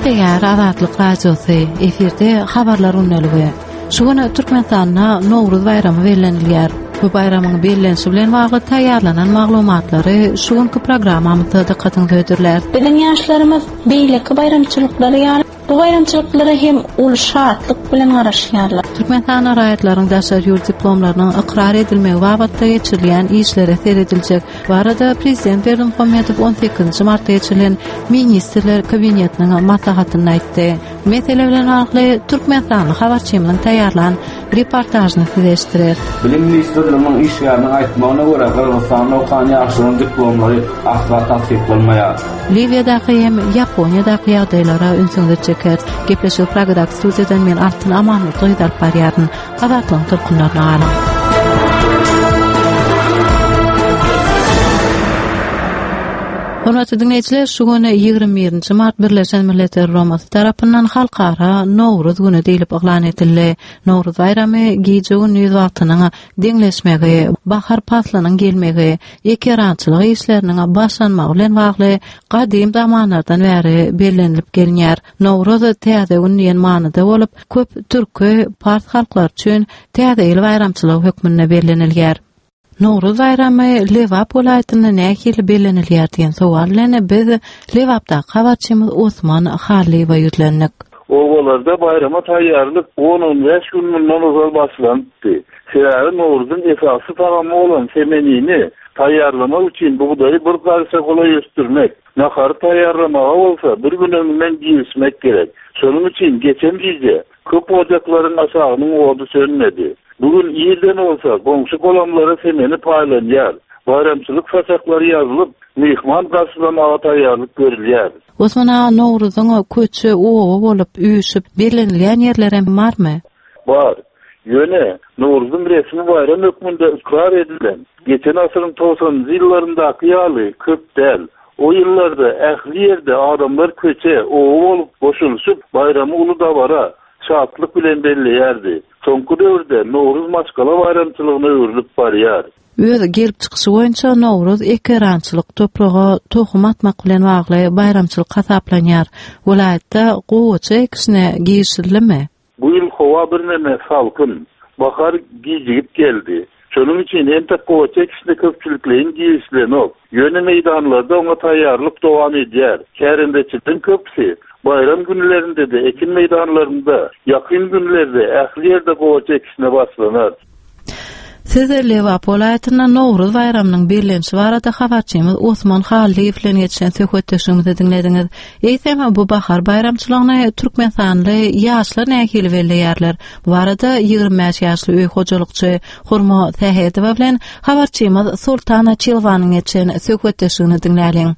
Gepleýär Azatlyk Radiosy, efirde Habarlar gündeligi. Şu gün Türkmenistanda Nowruz baýramy bellenilýär. Bu baýramyň bellenişi bilen bagly taýýarlanan maglumatlary şu günki programmamyzda dykgatyňyza hödürläris. Biziň ýaşlarymyz beýleki baýramçylyklary ýaly bu baýramçylyklara hem uly şatlyk bilen garaşýarlar. Türkmenistanda raýatlaryň daşary ýurt diplomlarynyň ykrar edilmegi babatda geçirilýän işlere serediljek barada prezident Berdimuhamedow on sekizinji martda geçirilen Ministrler Kabinetiniň maslahatynda aýtdy. Mesele bilen bagly türkmenistanly habarçymyzyň taýýarlan reportažyny size eşitdireris. Bilim ministrliginiň işgäriniň aýtmagyna görä, Gyrgyzystanda okan ýaşlaryň diplomlary asla tassyklanmaýar. Liwiýadaky hem Ýaponiýadaky ýagdaýlara ünsüňizi çekeris. Gepleşigi Pragadaky studiýadan men Altyn Amanmurdyýewa alyp barýaryn. Azatlygyň tolkunlaryna galyň. Hormatly diňleýjiler, şu gün 21-nji mart Birleşen Milletler Guramasy tarapyndan Halkara Nowruz güni diýlip yglan edildi. Nowruz baýramy gije-gündiz wagtynyň deňleşmegi, bahar paslynyň gelmegi, ekerançylyk işleriniň başlanmagy bilen bagly gadym zamanlardan bäri bellenilip gelinýär. Nowruz täze gün diýen manyda bolup, köp türki, pars halklary üçin Täze ýyl baýramçylygy hökmünde bellenilýär. Nowruz baýramy Lebap welaýatynda nähili bellenilýär diýen sowal bilen biz Lebapdaky habarçymyz Osman Hallyýewe ýüzlendik. Obalarda baýrama taýýarlyk on-on bäş gün mundan ozal başlanypdy. Sebäbi Nowruzyň esasy tagamy bolan semenini taýýarlamak üçin bugdaýy bir garyşa golaý ösdürmek, Nahary taýýarlamaga bolsa bir gün öňünden girişmek gerek. Şonuň üçin geçen gije köp ojaklaryň aşagynyň ody sönmedi. Bu gün irden bolsa goňşy-golamlara semeni paýlanýar. Baýramçylyk saçaklary ýazylyp, myhman garşylamaga taýýarlyk görülýär. Osman aga, Nowruzyň köçe, oba bolup, üýşüp, bellenilýän ýerlerem barmy? Bar. Ýöne, Nowruzyň resmi baýram hökmünde ykrar edilen, geçen asyryň togsanynjy ýyllaryndaky ýaly köp däl. O ýyllarda ähli ýerde adamlar köçe, oba bolup goşulyşyp, baýramy uly dabara, şatlyk bilen belleýärdi. Soňky döwürde Nowruz maşgala baýramçylygyna öwrülip barýar. Öz gelip çykyşy boýunça Nowruz ekerançylyk, topraga tohum atmak bilen bagly baýramçylyk hasaplanýar. Welaýatda gowaça ekişine girişildimi? Bu ýyl howa birneme salkyn, bahar gijigip geldi. Şonuň üçin entek gowaça ekişine köpçülikleýin girişilenok. Ýöne meýdanlarda oňa taýýarlyk dowam edýär. Kärendeçileriň köpüsi baýram günlerinde-de ekin meýdanlarynda, ýakyn günlerde ähli ýerde gowaça ekişine başlanar. Siz Lebap welaýatynda Nowruz baýramynyň bellenişi barada habarçymyz Osman Hallyýew bilen geçiren söhbetdeşligimizi diňlediňiz. Eýsem, bu bahar baýramçylygyny türkmenistanly ýaşlar nähili belleýärler? Bu barada 25 ýaşly öý hojalykçy Hurma Sähedowa bilen habarçymyz Soltan Açylowanyň geçiren söhbetdeşligini diňläliň.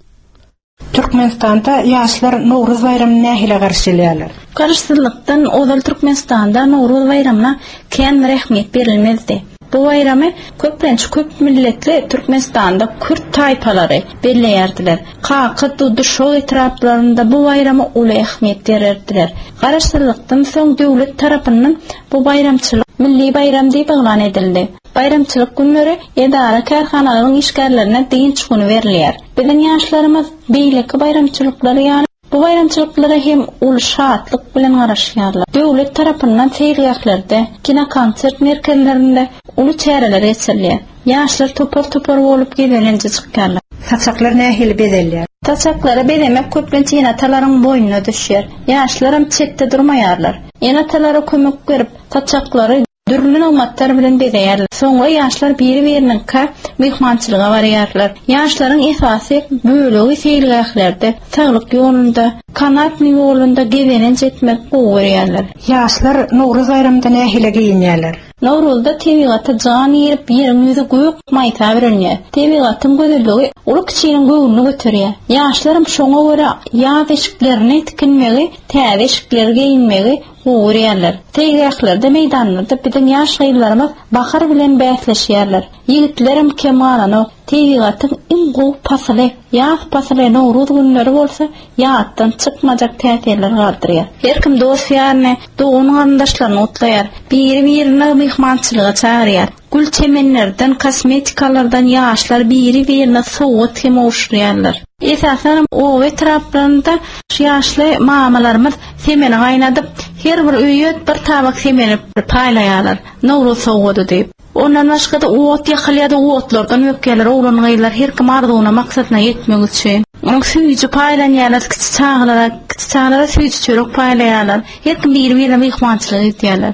Türkmenistanda ýaşlar Nowruz baýramyny nähili garşylaýarlar? Garaşsyzlykdan ozal Türkmenistanda Nowruz baýramyna kän bir ähmiýet berilmezdi. Bu baýramy köplenç köp milletli Türkmenistanda kürt taýpalary belleýärdiler. Kaka, Dudy, Şow etraplarynda bu baýrama uly ähmiýet bererdiler. Garaşsyzlykdan soň döwlet tarapyndan bu baýramçylyk milli baýram diýip yglan edildi. Baýramçylyk günleri edara-kärhanalaryň işgärlerine dynç güni berilýär. Biziň ýaşlarymyz beýleki baýramçylyklary ýaly bu baýramçylyklara hem uly şatlyk bilen garaşýarlar. Döwlet tarapyndan seýilgählerde, kinokonsert merkezlerinde uly çäreler geçirilýär. Ýaşlar topar-topar bolup gezelenje çykýarlar. Saçaklar nähili bezelýär? Saçaklary bezemek köplenç ene-atalaryň boýnuna düşýär. Ýaşlaram çetde durmaýarlar. Ene-atalara kömek berip, saçaklary Dürli nygmatlar bilen bezeýärler. Soňra ýaşlar biri-biriniňkä myhmançylyga barýarlar. Ýaşlaryň esasy bölegi seýilgählerde, saglyk ýolunda, kanatnyý ýolunda gezelenç etmegi gowy görýärler. Ýaşlar Nowruz baýramynda nähili geýinýärler? Nowruzda tebigata jan girip, ýeriň ýüzi gök maýsa bürenýär. Tebigatyň gözelligi uly-kiçiniň göwnüni göterýär. Ýaşlaram şoňa görä ýaz eşiklerini tikinmegi, täze eşikleri geýinmegi. gowy görýärler. Seýilgählerde, meýdanlarda biziň ýaş gyzlarymyz bahar bilen bäsleşýärler. Ýigitlerem kem galanok. Tebigatyň iň gowy pasyly, ýaz pasyly, Nowruz günleri bolsa ýatdan çykmajak täsirler galdyrýar. Her kim dost-ýaryny, dogan-garyndaşlaryny gutlaýar. Biri-birini myhmançylyga çagyrýar. Gül çemenlerden, kosmetikalardan ýaşlar biri-birine sowgat hem gowşurýarlar. Esasanam oba etraplarynda şu ýaşly mamalarymyz semeni gaýnadyp, her bir öýe bir tabak semeni paýlaýarlar, Nowruz sowgady diýip. Ondan başga-da ot ýakylýar-da, otlardan bökýärler oglan-gyzlar her kim arzuwyna, maksadyna ýetmek üçin. Onuň süýji paýlanýarlar kiçi çagalara, kiçi çagalara süýji çörek paýlaýarlar. Her kim biri-birine myhmançylyk edýärler.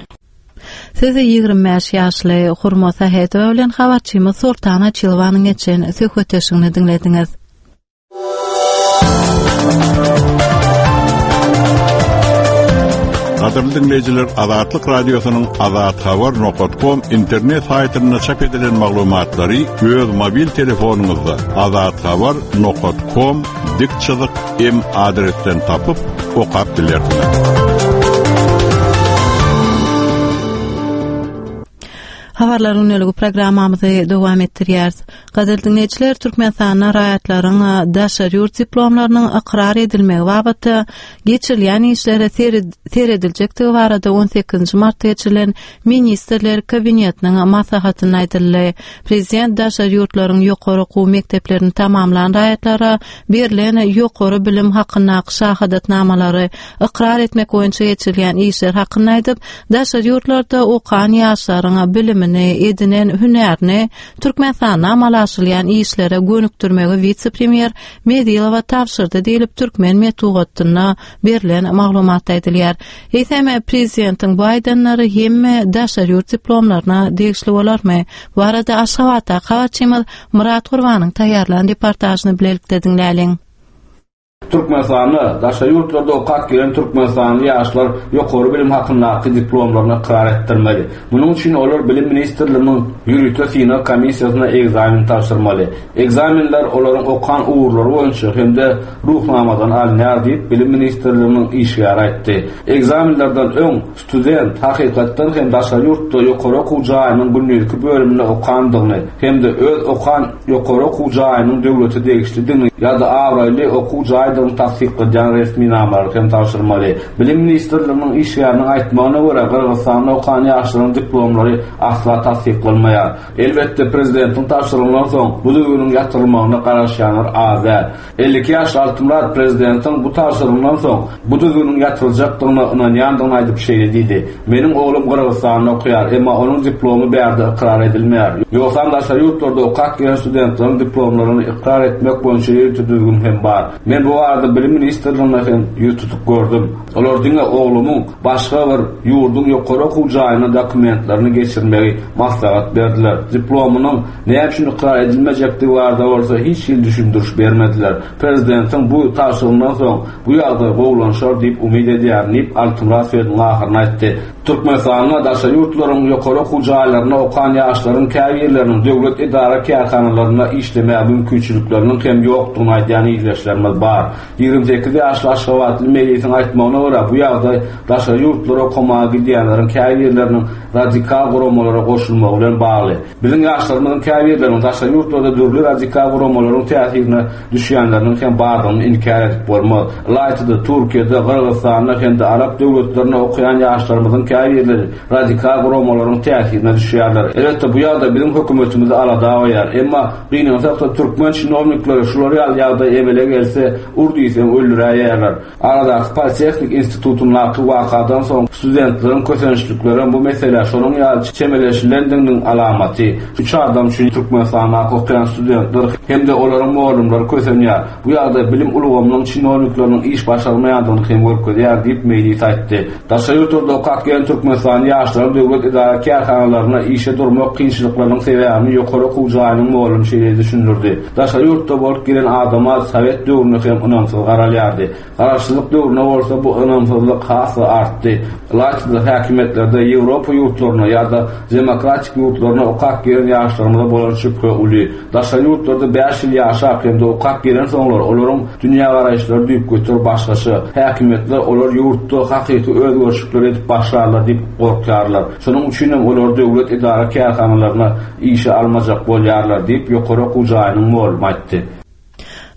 Siz 25 ýaşly Hurma Sähedowa bilen habarçymyz Soltan Açylowanyň geçen söhbetdeşligini diňlediňiz. Gadyrly diňleýjiler, Azatlyk Radiosynyň Azathabar nokat kom internet saýtynda çap edilen maglumatlary öz mobil telefonyňyzda azathabar nokat kom dik çyzyk m adresden tapyp, okap bilersiňiz. Habarlar gündeligi programmamyzy dowam etdirýäris. Gadyrly diňleýjiler, Türkmenistanda raýatlaryň daşary ýurt diplomlarynyň ykrar edilmegi babatda geçirilýän işlere serediljekdigi barada 18 martda geçirilen Ministrler Kabinetiniň maslahatynda aýdyldy. Prezident daşary ýurtlaryň ýokary okuw mekdeplerini tamamlan raýatlara berlen ýokary bilim hakyndaky şahadatnamalary ykrar etmek boýunça geçirilýän işler hakynda aýdyp, daşary ýurtlarda okan ýaşlaryň bilimini, edinen hünärini Türkmenistanda amala aşyrylýan işlere gönükdirmegi wise-premýer Mezilowa tabşyrdy diýlip, türkmen metbugatynda berlen maglumatda aýdylýar. Eýsem, prezidentiň bu aýdanlary hemme daşary ýurt diplomlaryna degişli bolarmy? Bu barada Aşgabatdaky habarçymyz Myrat Gurbanyň taýýarlan reportažyny bilelikde diňläliň. Türkmenistanda daşary ýurtlarda okap gelen türkmenistanly ýaşlar ýokary bilim hakyndaky diplomlaryny ykrar etdirmeli. Munuň üçin olar Bilim ministrliginiň ýörite synag komissiýasyna ekzamen tabşyrmaly. Ekzamenler olaryň okan ugurlary boýunça hem-de Ruhnamadan alynýar diýip, Bilim ministrliginiň işgäri aýtdy. Ekzamenlerden öň student hakykatdan hem daşary ýurtda ýokary okuw jaýynyň gündizki bölüminde okandygyny hem-de öz okan ýokary okuw jaýynyň döwlete degişlidigini ýa-da abraýly okuw jaýdygyny tassykladýan resminamalary hem tabşyrmaly. Bilim ministrliginiň işgäriniň aýtmagyna görä, Gyrgyzystanda okan ýaşlaryň diplomlary asla tassyklanmaýar. Elbetde, prezidentiň tabşyrygyndan soň bu düzgüniň ýatyrylmagyna garaşýanlar az däl. 52 ýaşly Altymyrat prezidentiň bu tabşyrygyndan soň bu düzgüniň ýatyryljakdygyna ynanýandygyny aýdyp şeýle diýdi, Meniň oglum Gyrgyzystanda okaýar, emma onuň diplomy bärde ykrar edilmeýär. Ýogsam daşary ýurtlarda okap gelen studentleriň diplomlaryny ykrar etmek boýunça ýörite düzgün hem bar. Men bu barada Bilim ministrligine hem ýüz tutup gördüm. Olar diňe oglumyň başga bir ýurduň ýokary okuw jaýyna dokumentlerini geçirmegi maslahat berdiler. Diplomynyň näme üçin ykrar edilmejekdigi barada bolsa hiç hili düşündiriş bermediler. Prezidentiň bu tabşyrygyndan soň bu ýagdaý gowulanşar diýip umyt edýärin diýip, Altymyrat sözüniň ahyrynda aýtdy. Türkmenistanda daşary ýurtlaryň ýokary okuw jaýlarynda okan ýaşlaryň käbirleriniň döwlet edara-kärhanalarynda işlemäge mümkinçilikleriniň hem ýokdugyny aýdýan ildeşlerimiz bar. 28 ýaşly aşgabatly Melisiň aýtmagyna görä, bu ýagdaý daşary ýurtlara okamaga gidýänleriň käbirleriniň radikal guramalara goşulmagy bilen bagly. Biziň ýaşlarymyzyň käbirleriniň daşary ýurtlarda dürli radikal guramalaryň täsirine düşýänleriniň hem bardygyny inkär edip bolmaz. Ylaýta-da, Türkiýede, Gyrgyzystanda hem-de arap döwletlerinde okaýan ýaşlarymyzyň käbirleri radikal guramalaryň täsirine düşýärler. Elbetde, bu ýagdaý biziň hökümetimizi alada goýýar. Emma, gynansak-da, türkmen çinownikleri şular ýaly ýagdaý emele gelse, ur diýseň öldüräýýärler. Aradaky Politehnik institutyndaky wakadan soň studentleriň kösençliklerem bu meselä şonuň ýaly çemeleşilendiginiň alamaty. Üç adam üçin Türkmenistandaky okaýan studentler hem-de olaryň mugallymlary kösenýär. Bu ýagdaý bilim ulgamynyň çinownikleriniň iş başarmaýandygyny hem görkezýär diýip, Meýlis aýtdy. Daşary ýurtlarda okap gelen. gelen türkmenistanly ýaşlaryň döwlet edara-kärhanalaryna işe durmak kynçylyklarynyň sebäbini ýokary okuw jaýynyň mugallymy şeýle düşündirdi, Daşary ýurtda bolup gelen adama sowet döwründe hem ynamsyz garalýardy. Garaşsyzlyk döwründe bolsa bu ynamsyzlyk has-da artdy. Ylaýta-da häkimiýetlerde Ýewropa ýurtlaryna ýa-da demokratik ýurtlaryna okap gelen ýaşlarymyza bolan şübhe uly. Daşary ýurtlarda bäş ýyl ýaşap hem-de okap gelensoňlar olaryň dünýägaraýyşlary düýpgöter başgaça. Häkimiýetler olar ýurtda hakyky özgerişlikleri edip başlarlar diýip gorkýarlar. Şonuň üçinem olary döwlet edara-kärhanalaryna işe almajak bolýarlar diýip, ýokary okuw jaýynyň mugallymy aýtdy.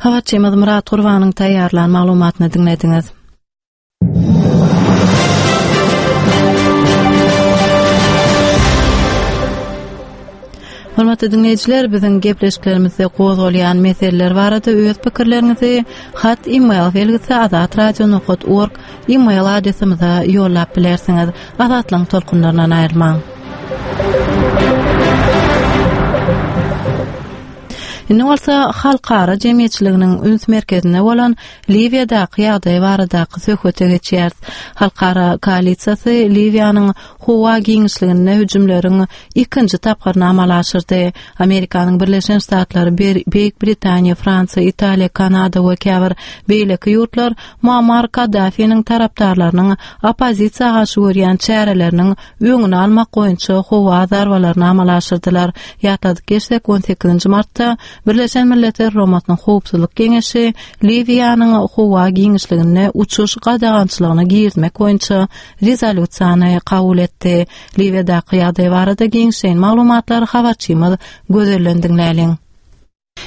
Habarçymyz Myrat Gurbanyň taýýarlan maglumatyny diňlediňiz. Hormatly diňleýjiler, biziň gepleşiklerimizde gozgalýan meseleler barada öz pikirleriňizi hat e-mail belgisi azatradio.org e-mail adresimize ýollap bilersiňiz. Azatlygyň tolkunlaryndan aýrylmaň. Indi bolsa halkara jemgyýetçiliginiň üns merkezinde bolan Liwiýadaky ýagdaý baradaky söhbete geçýäris. Halkara koalisiýasy Liwiýanyň howa giňişliginde hüjümleriň ikinji tapgyryny amala aşyrdy. Amerikanyň Birleşen Ştatlary, Beýik Britaniýa, Fransiýa, Italiýa, Kanada we käbir beýleki ýurtlar Muammar Kaddafiniň tarapdarlarynyň oppozisiýa garşy görýän çäreleriniň öňüni almak boýunça howa zarbalaryny amala aşyrdylar. Ýatladyp geçsek, on sekizinji martda Birleşen Milletler Guramasynyň Howpsuzlyk Geňeşi Liwiýanyň howa giňişliginde uçuş gadagançylygyny girizmek boýunça rezolýusiýany kabul etdi. Liwiýadaky ýagdaý barada giňişleýin maglumatlary habarçymyz Gözelden diňläliň.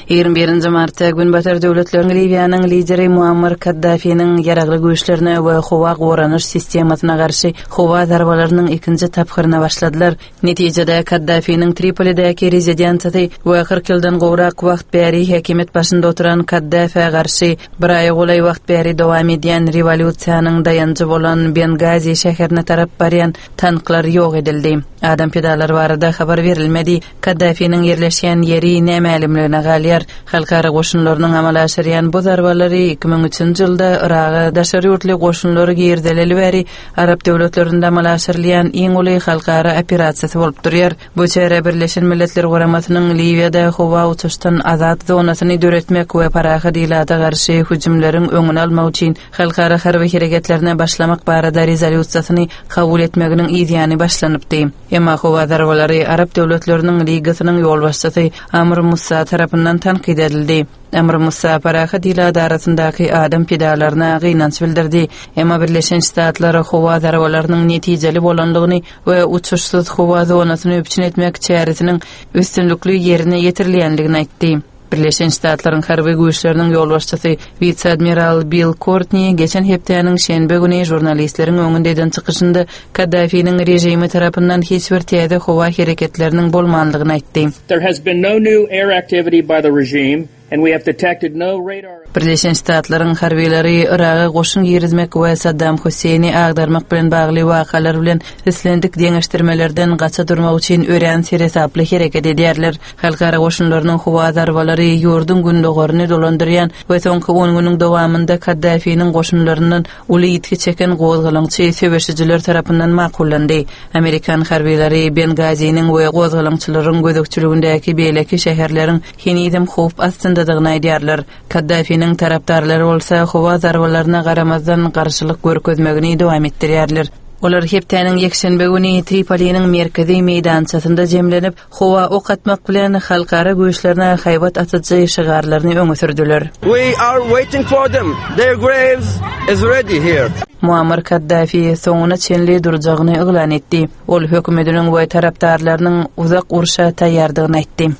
21 martda Günbatar döwletleriň Liwiýanyň lideri Muammar Kaddafiniň ýaragly güýçlerine we howa goranyş sistemasyna garşy howa zarbalarynyň ikinji tapgyryna başladylar. Netijede, Kaddafiniň Tripolidäki rezidensiýasy we 40 ýyldan gowrak wagt bäri häkimiýet başynda oturan Kaddafä garşy bir aýa golaý wagt bäri dowam edýän rewolýusiýanyň daýanjy bolan Bengazi şäherine tarap barýan tanklar ýok edildi. Adam pidalary barada habar berilmedi. Kaddafiniň ýerleşýän ýeri nämälimligine galýar. Halkara goşunlarynyň amala aşyrýan bu zarbalary 2003-nji ýylda Yraga daşary ýurtly goşunlary girizileli bäri arap döwletlerinde amala aşyrylýan iň uly halkara operasiýasy bolup durýar. Bu çäre Birleşen Milletler Guramasynyň Liwiýada howa uçuşdan azat zonasyny döretmek we parahat ilata garşy hüjümleriň öňüni almak üçin halkara harby hereketlerine başlamak barada rezolýusiýasyny kabul etmeginiň yzýany başlanypdy. Emma howa zarbalary Arap döwletleriniň ligasynyň ýolbaşçysy Amr Musa tarapyndan tankyt edildi. Amr Musa parahat ilat arasyndaky adam pidalaryna gynanç bildirdi. Emma Birleşen Ştatlar howa zarbalarynyň netijeli bolandygyny we uçuşsyz howa zonasyny üpjün etmek çäresiniň üstünlikli ýerine ýetirilýändigini aýtdy. Birleşen Ştatlaryň harby güýçleriniň ýolbaşçysy wise-admiral Bill Kortni geçen hepdäniň şenbe güni žurnalistleriň öňünde eden çykyşynda Kaddafiniň režimi tarapyndan hiç bir täze howa hereketleriniň bolmandygyny aýtdy. There has been no new air activity by the regime and we have detected no radar. Birleşen Ştatlaryň harbylary Yraga goşun girizmek we Saddam Husseýni agdarmak bilen bagly wakalar bilen islendik deňeşdirmelerden gaça durmak üçin örän seresaply hereket edýärler. Halkara goşunlarynyň howa zarbalary ýurduň gündogaryny dolandyrýan we soňky on günüň dowamynda Kaddafiniň goşunlaryndan uly ýitgi çeken gozgalaňçy söweşijiler tarapyndan makullandy. Amerikan harbylary Bengaziniň we gozgalaňçylaryň gözegçiligindäki beýleki şäherleriň henizem howp astyndadygyny aýdýarlar. Kaddafiniň tarapdarlary bolsa howa zarbalaryna garamazdan garşylyk görkezmegini dowam etdirýärler. Olar hepdäniň ýekşenbe güni Tripoliniň merkezi meýdançasynda jemlenip, Howa ok atmak bilen halkara güýçlerine haýbat atyjy şygarlaryny öňe sürdüler. We are waiting for them. Their graves is ready here. Muammar Kaddafi soňuna çenli durjagyny yglan etdi. Ol hökümetiniň we tarapdarlarynyň uzak urşa taýýardygyny aýtdy.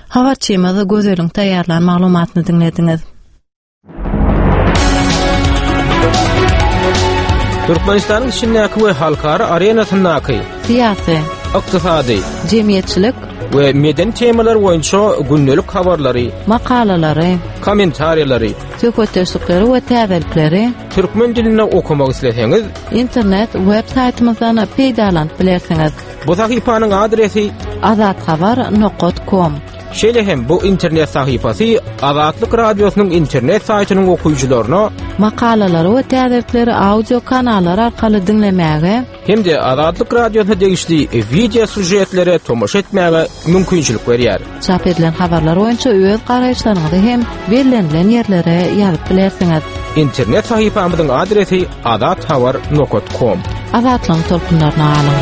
Habarçymyz Gözeliň taýýarlan maglumatyny diňlediňiz. Türkmenistanyň içindäki we halkara arenasyndaky syýasy, ykdysady, jemgyýetçilik we medeni temalar boýunça gündelik habarlary, makalalary, kommentariýalary, söhbetdeşlikleri we täzelikleri türkmen dilinde okamak isleseňiz, internet web saýtymyzdan peýdalanyp bilersiňiz. Bu sahypanyň adresi azathabar.com Şeýle hem bu internet sahypasy Azatlyk Radiosynyň internet saýtynyň okyjylaryna. Makalalary we täzelikleri audio kanallar arkaly diňlemäge hem-de Azatlyk Radiosyna degişli wideo sýužetlere tomaşa etmäge mümkinçilik berýär. Çap edilen habarlar boýunça öz garaýyşlaryňyzy hem bellenilen ýerlere ýazyp bilersiňiz. Internet sahypamyzyň adresi azathabar nokat kom. Azatlygyň tolkunlaryna galyň!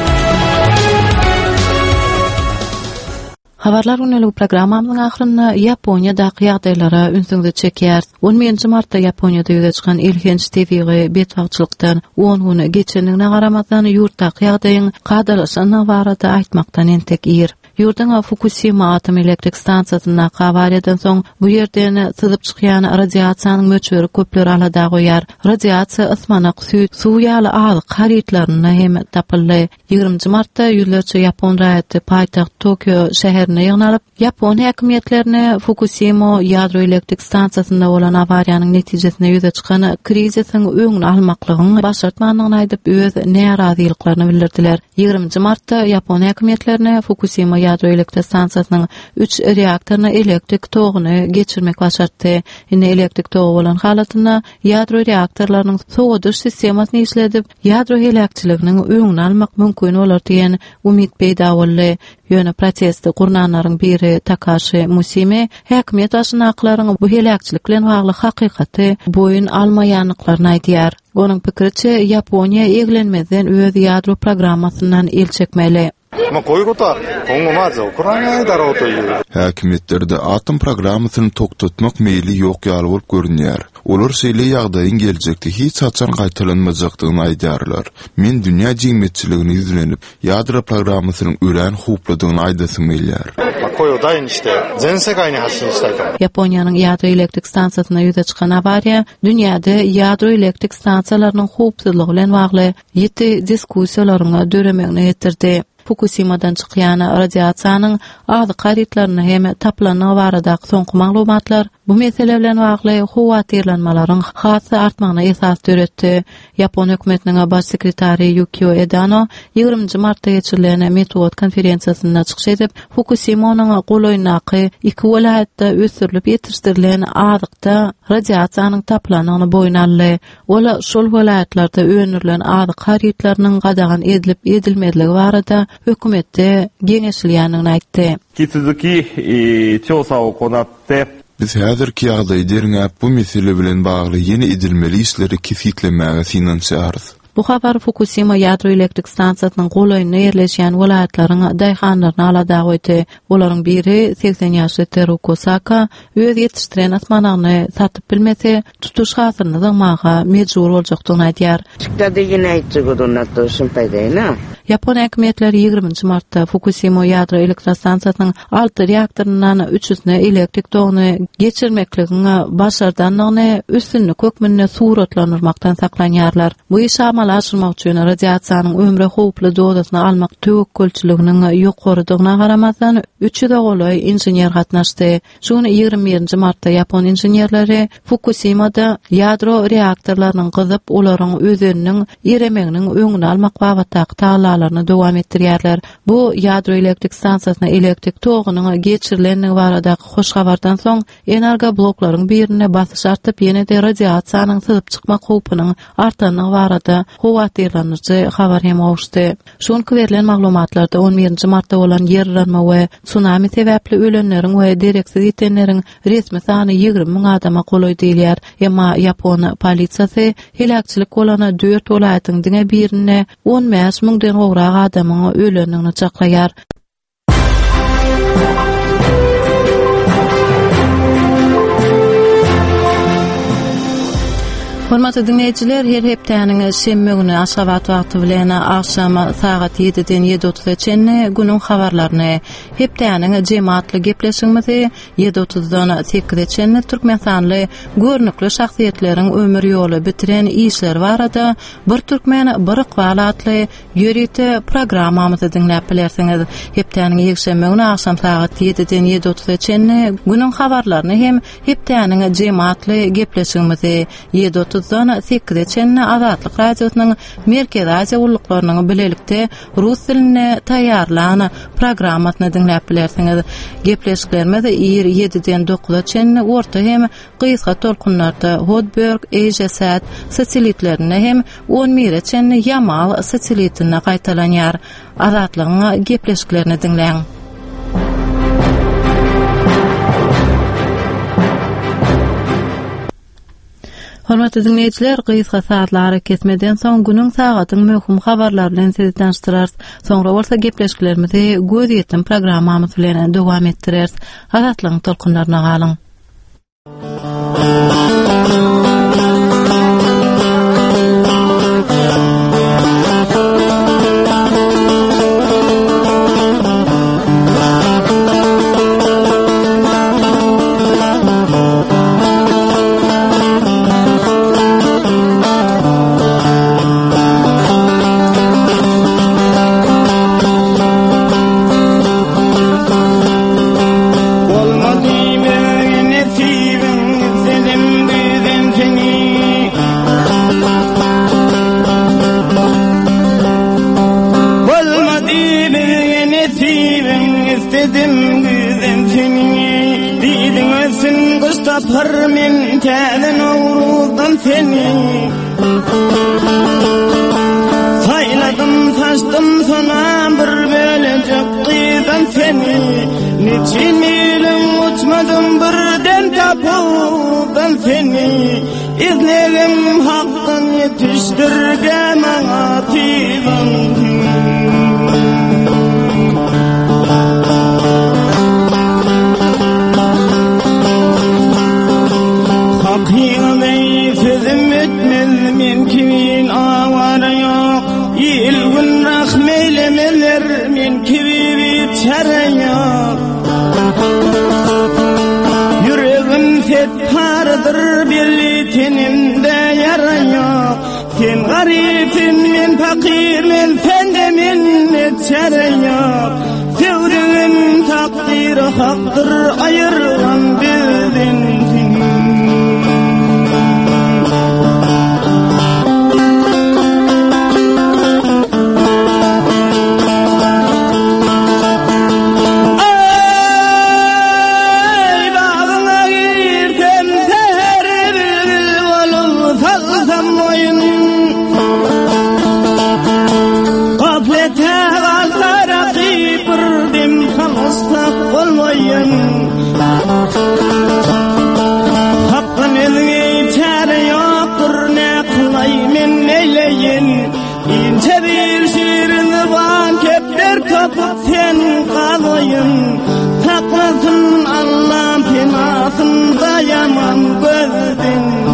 Habarlar gündeligi programmamyzyň ahyrynda Ýaponiýadaky ýagdaýlara ünsüňizi çekýäris. On birinji martda Ýaponiýada ýüze çykan elhenç tebigy betbagtçylykdan on gün geçendigine garamazdan, ýurtdaky ýagdaýyň kadalaşandygy barada aýtmakdan entek ir. Ýurduň Fukusima atom elektrik stansiýasyndaky awariýadan soň bu ýerden syzyp çykýan radiasiýanyň möçberi köpleri alada goýýar. Radiasiýa ysmanak, süýt, suw ýaly azyk harytlarynda hem tapyldy. Ýigriminji martda ýüzlerçe ýapon raýaty paýtagt Tokio şäherinde ýygnalyp, ýapon häkimiýetlerine Fukusimo ýadro elektrik stansiýasynda bolan awariýanyň netijesinde ýüze çykan krizisiň öňüni almaklygyň başartmandygyny aýdyp, öz närazylyklaryny bildirdiler. Ýigriminji martda ýapon häkimiýetlerine Fukusimo ýadro elektrik stansiýasynyň üç reaktoryna elektrik toguny geçirmek başartdy. Indi elektrik togy bolan halatynda ýadro reaktorlarynyň sowadyş sistemasyny işledip, ýadro heläkçiliginiň öňüni almak mümkin bolar diýen umyt peýda boldy. Ýöne protesti gurnanlaryň biri Takaşi Musimi häkimiýet başyndakylaryň bu heläkçilik bilen bagly hakykaty boýun almaýandyklaryny aýdýar. Onuň pikiriçe, Ýaponiýa eglenmezden öz ýadro programmasyndan el çekmeli. Häkimiýetlerde atom programmasyny togtatmak meýli ýok ýaly bolup görünýär. Olar şeýle ýagdaýyň geljekde hiç haçan gaýtalanmajakdygyny aýdýarlar. Men dünýä jemgyýetçiligine ýüzlenip, ýadro programmasynyň örän howpludygyny aýdasym gelýär. Ýaponiýanyň ýadro elektrik stansiýasynda ýüze çykan awariýa dünýäde ýadro elektrik stansiýalarynyň howpsuzlygy bilen bagly ýiti diskussiýalaryň döremegine getirdi. Fukusimadan çykýan radiasiýanyň azyk harytlarynda hem tapylandygy baradaky soňky maglumatlar bu mesele bilen bagly howatyrlanmalaryň has-da artmagyna esas döretdi. Ýapon hökümetiniň baş sekretary Ýukio Edano ýigriminji martda geçirilen metbugat konferensiýasynda çykyş edip, Fukusimonyň golaýyndaky iki welaýatda ösdürilip ýetişdirilen azykda radiasiýanyň tapylandygyny boýun aldy. Ol şol welaýatlarda öndürilen azyk harytlarynyň gadagan edilip-edilmezligi barada hökümetde geňeşilýändigini aýtdy. Biz häzirki ýagdaýy derňäp, bu mesele bilen bagly ýene edilmeli işleri kesgitlemäge synanyşýarys. Bu habar Fukusima ýadro elektrik stansiýasynyň golaýynda ýerleşýän welaýatlaryň daýhanlaryny alada goýdy. Olaryň biri, 80 ýaşly Teruko Saka öz ýetişdiren ysmanagyny satyp bilmese, tutuş hasylyny zyňmaga mejbur boljakdygyny aýdýar. Ýapon häkimiýetleri ýigriminji martda Fukusimo ýadro elektrostansiýasynyň alty reaktoryndan üçüsine elektrik toguny geçirmekligiň başardandygyny üstünlik hökmünde suratlandyrmakdan saklanýarlar. Bu işi amala aşyrmak üçin radiasiýanyň ömre howply dozasyny almak töwekgelçiliginiň ýokarydygyna garamazdan, üç ýüze golaý inžener gatnaşdy. Şu gün 21-nji martda ýapon inženerleri Fukusimada ýadro reaktorlarynyň gyzyp, olaryň özeniniň eremeginiň öňüni almak babatdaky tagallalaryny dowam etdirýärler. Bu ýadro elektrik stansiýasyna elektrik togunyň geçirilendigi baradaky hoş habardan soň, energobloklaryň birinde basyş artyp, ýene-de radiasiýanyň syzyp çykmak howpunyň artandygy barada howatyrlanyjy habar hem gowuşdy. Şu günki berlen maglumatlarda on birinji martda bolan ýer yranma we sunami sebäpli ölenleriň we dereksiz ýitenleriň resmi sany 20 müň adama golaý diýilýär. Emma ýapon polisiýasy heläkçilik bolan dört welaýatyň diňe birinde 15 müňden gowrak adamyň ölendigini çaklaýar. Hormatly diňleýjiler, her hepdäniň şenbe güni Aşgabat wagty bilen agşam sagat 7-den 7:30-a çenli günüň habarlaryny, hepdäniň jemi atly gepleşigimizi 7:30-dan 8-e çenli türkmenistanly görnükli şahsyýetleriň ömür ýoly, bitiren işleri barada Bir türkmen, bir ykbal atly Ýörite programmamyzy diňläp bilersiňiz. Hepdäniň ýekşenbe güni agşam sagat ýediden ýedi otuza çenli günüň habarlaryny hem Hepdäniň jemi atly gepleşigimizi ýedi otuzdan. otuzdan sekize çenli Azatlyk Radiosynyň Merkezi Aziýa gulluklarynyň bilelikde rus dilinde taýýarlan programmasyny diňläp bilersiňiz. Gepleşiklerimiz ir ýediden dokuza çenli orta hem gysga tolkunlarda Hotbird, AsiaSat satelitlerinde hem on bire çenli Ýamal satelitinde gaýtalanýar. Azatlygyň gepleşiklerini diňläň. Hormatly diňleýjiler, gysga sazly arakesmeden soň günüň sagadyň möhüm habarlary bilen sizi tanyşdyrarys. Soňra bolsa gepleşiklerimizi Gözýetim programmamyz bilen dowam etdireris. Azatlygyň tolkunlaryna galyň. Tapar men täze Nowruzdan seni Saýladym saçdym sona bir bölejek gyzdan seni Niçin ýylyň uçmadym birden tapawdan seni Izlegim hakdan ýetişdirge maňa tizan Hakyňy sözüm etmez men kimin awara ýok Il gün rahm eylemeler men kibi biçäre ýok Ýüregim set paradyr belli tenimde ýara ýok Sen garypsyn men pakyr men sende minnet çäre ýok Söwdügim takdyry hakdyr aýyrgan bizden Eý bagyňa girsem säher bilbil bolup salsam boýun Gaflete galsa rakyp bir dem salyşsak bolmaýyn Hakdan özge çäre ýokdur ne kylaý men neýleýin Inçe bir şirin zyban kepder tapyp sen galaýyn Saklasyn Allam penasynda ýaman gözden.